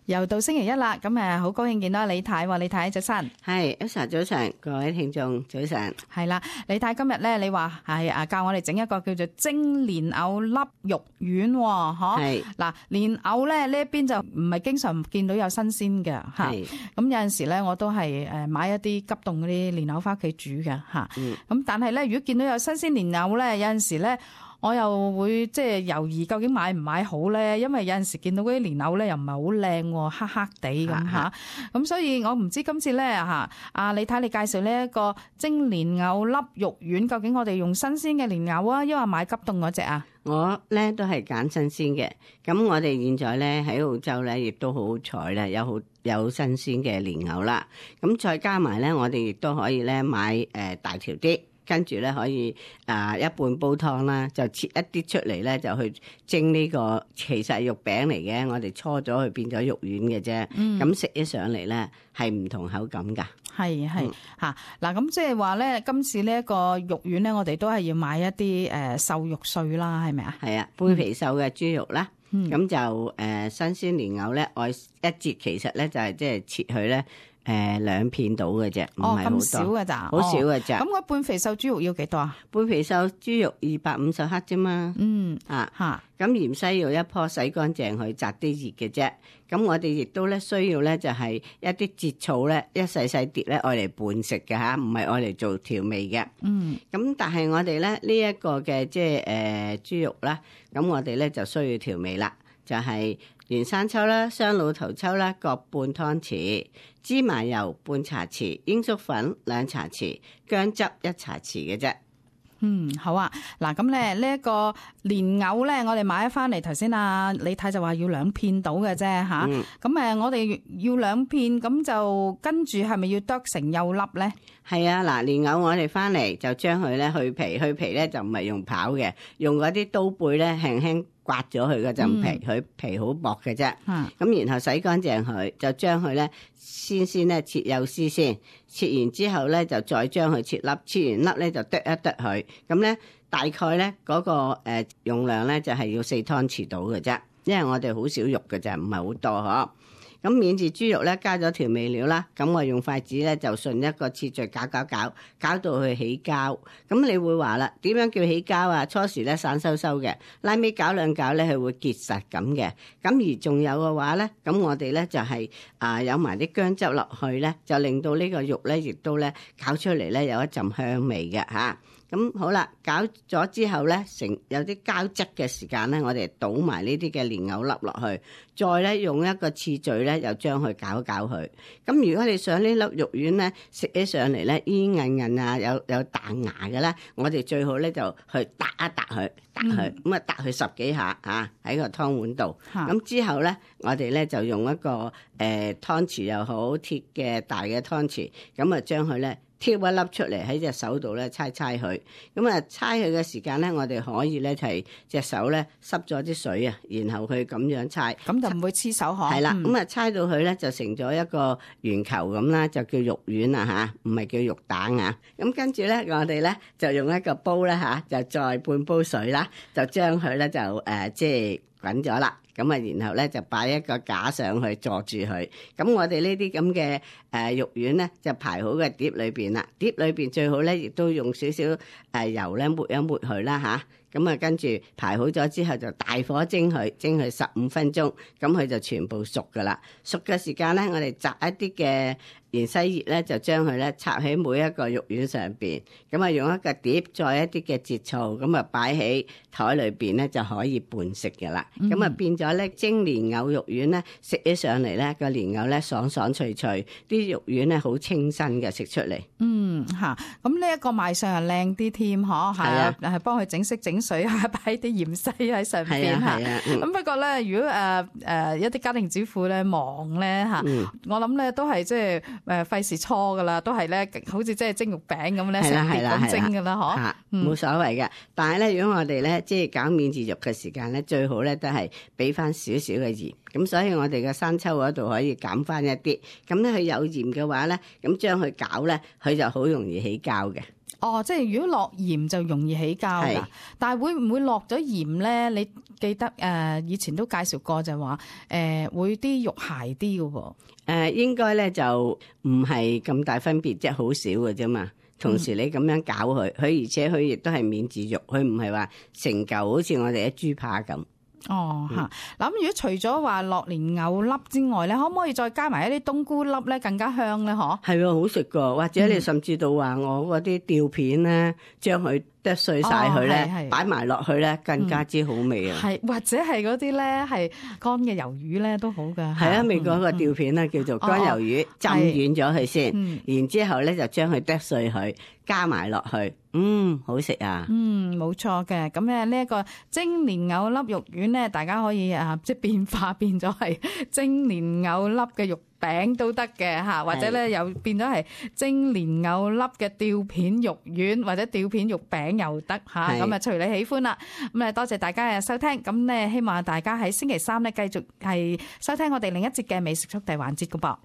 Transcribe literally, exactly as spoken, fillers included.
又到星期一啦，咁誒好高興見到李太喎，李太早晨。係，Elsa早晨，各位聽眾早晨。係啦，李太今日咧，你話係啊教我哋整一個叫做蒸蓮藕粒肉丸喎，嗬？係。嗱，蓮藕咧呢一邊就唔係經常見到有新鮮嘅嚇，咁有陣時咧我都係誒買一啲急凍嗰啲蓮藕翻屋企煮嘅嚇。嗯。咁但係咧，如果見到有新鮮蓮藕咧，有陣時咧，我又會即係猶豫究竟買唔買好咧，因為有陣時見到嗰啲蓮藕咧又唔係好靚喎，黑黑地咁嚇，咁所以我唔知今次咧嚇，啊你睇你介紹呢一個蒸蓮藕粒肉丸，究竟我哋用新鮮嘅蓮藕啊，抑或買急凍嗰隻啊？我咧都係揀新鮮嘅，咁我哋現在咧喺澳洲咧亦都好好彩咧，有好有新鮮嘅蓮藕啦，咁再加埋咧，我哋亦都可以咧買誒大條啲。跟住咧可以啊一半煲湯啦，就切一啲出嚟咧，就去蒸呢個其實係肉餅嚟嘅，我哋搓咗佢變咗肉丸嘅啫。咁食起上嚟咧係唔同口感㗎。係係嚇嗱，咁即係話咧，今次呢一個肉丸咧，我哋都係要買一啲誒瘦肉碎啦，係咪啊？係啊，杯皮瘦嘅豬肉啦，咁、嗯、就誒、呃、新鮮蓮藕咧，愛一節其實咧就係即係切佢咧。誒、呃，兩片到嘅啫，唔係好多，咁少嘅咋？好少嘅咋？咁嗰半肥瘦豬肉要幾多啊？半肥瘦豬肉二百五十克啫嘛。嗯啊吓，咁芫茜要一棵洗乾淨去摘啲葉嘅啫。咁我哋亦都咧需要咧就係一啲節草咧，一細細碟咧愛嚟拌食嘅吓，唔係愛嚟做調味嘅。嗯。咁但係我哋咧呢一個嘅即係誒豬肉啦，咁我哋咧就需要調味啦，就係、是。原生抽啦、雙老頭抽啦，各半湯匙；芝麻油半茶匙；鷹粟粉兩茶匙；薑汁一茶匙嘅啫。嗯，好啊。嗱，咁咧呢一個蓮藕咧，我哋買咗翻嚟，頭先啊李太就話要兩片到嘅啫吓。咁、嗯、誒，我哋要兩片，咁就跟住係咪要剁成幼粒咧？係啊，嗱，蓮藕我哋翻嚟就將佢咧去皮，去皮咧就唔係用刨嘅，用嗰啲刀背咧輕輕刮咗佢嗰陣皮，佢、嗯、皮好薄嘅啫。咁、嗯、然後洗乾淨佢，就將佢咧先先咧切幼絲先，切完之後咧就再將佢切粒，切完粒咧就剁一剁佢。咁咧大概咧嗰、那個誒、呃、用量咧就係、是、要四湯匙到嘅啫，因為我哋好少肉嘅啫，唔係好多嗬。咁免治豬肉咧加咗調味料啦，咁我用筷子咧就順一個次序攪攪攪，攪到佢起膠。咁你會話啦，點樣叫起膠啊？初時咧散收收嘅，拉尾攪兩攪咧佢會結實咁嘅。咁而仲有嘅話咧，咁我哋咧就係、是、啊有埋啲薑汁落去咧，就令到呢個肉咧亦都咧攪出嚟咧有一陣香味嘅嚇。咁好啦，攪咗之後咧，成有啲膠質嘅時間咧，我哋倒埋呢啲嘅蓮藕粒落去，再咧用一個次序咧，又將佢攪一攪佢。咁如果你想呢粒肉丸咧食起上嚟咧，煙韌韌啊，有有彈牙嘅咧，我哋最好咧就去揼一揼佢，揼佢，咁啊揼佢十幾下啊喺個湯碗度。咁之後咧，我哋咧就用一個誒、呃、湯匙又好，鐵嘅大嘅湯匙，咁啊將佢咧。挑一粒出嚟喺隻手度咧，搓搓佢。咁啊，搓佢嘅時間咧，我哋可以咧係隻手咧濕咗啲水啊，然後佢咁樣搓，咁就唔會黐手嗬。係啦，咁啊搓到佢咧就成咗一個圓球咁啦，就叫肉丸啊吓，唔係叫肉蛋啊。咁跟住咧，我哋咧就用一個煲咧吓，就再半煲水啦，就將佢咧就誒即係滾咗啦。咁啊，然後咧就擺一個架上去坐住佢。咁我哋呢啲咁嘅誒肉丸咧，就排好嘅碟裏邊啦。碟裏邊最好咧，亦都用少少誒油咧抹一抹佢啦吓。咁啊，跟住排好咗之後，就大火蒸佢，蒸佢十五分鐘，咁佢就全部熟噶啦。熟嘅時間咧，我哋摘一啲嘅芫茜葉咧，就將佢咧插喺每一個肉丸上邊，咁啊用一個碟，再一啲嘅節醋，咁啊擺喺台裏邊咧就可以拌食嘅啦。咁啊、嗯、變咗咧蒸蓮藕肉丸咧，食起上嚟咧個蓮藕咧爽爽脆脆，啲肉丸咧好清新嘅食出嚟。嗯嚇，咁呢一個賣相係靚啲添，嗬，係啊，係幫佢整色整水啊，擺啲芫茜喺上邊嚇。咁不過咧，如果誒誒、呃呃、一啲家庭主婦咧忙咧嚇，嗯、我諗咧都係即係。誒費事搓噶啦，都係咧，好似即係蒸肉餅咁咧，成碟咁蒸噶啦，嗬，冇所謂嘅。但係咧，如果我哋咧即係搞免治肉嘅時間咧，最好咧都係俾翻少少嘅鹽。咁所以我哋嘅生抽嗰度可以減翻一啲。咁咧佢有鹽嘅話咧，咁將佢攪咧，佢就好容易起膠嘅。哦，即係如果落鹽就容易起膠㗎，但係會唔會落咗鹽咧？你記得誒、呃、以前都介紹過就話誒、呃、會啲肉鞋啲嘅喎。誒、呃、應該咧就唔係咁大分別，即係好少嘅啫嘛。同時你咁樣搞佢，佢、嗯、而且佢亦都係免治肉，佢唔係話成嚿好似我哋啲豬扒咁。哦嚇，嗱咁、嗯、如果除咗話落蓮藕粒之外咧，可唔可以再加埋一啲冬菇粒咧，更加香咧？嗬，係喎，好食噶，或者你甚至到話我嗰啲吊片咧，將佢剁碎晒佢咧，擺埋落去咧，更加之好味啊！係、嗯、或者係嗰啲咧係乾嘅魷魚咧都好噶。係啊，美國個吊片咧叫做乾魷魚，哦、浸軟咗佢先，嗯、然之後咧就將佢剁碎佢，加埋落去，嗯，好食啊！嗯，冇錯嘅。咁咧呢一個蒸蓮藕粒肉丸咧，大家可以啊，即係變化變咗係蒸蓮藕粒嘅肉餅都得嘅嚇，或者咧又變咗係蒸蓮藕粒嘅吊片肉丸或者吊片肉餅又得嚇，咁啊隨你喜歡啦。咁啊多謝大家嘅收聽，咁咧希望大家喺星期三咧繼續係收聽我哋另一節嘅美食速遞環節嘅噃。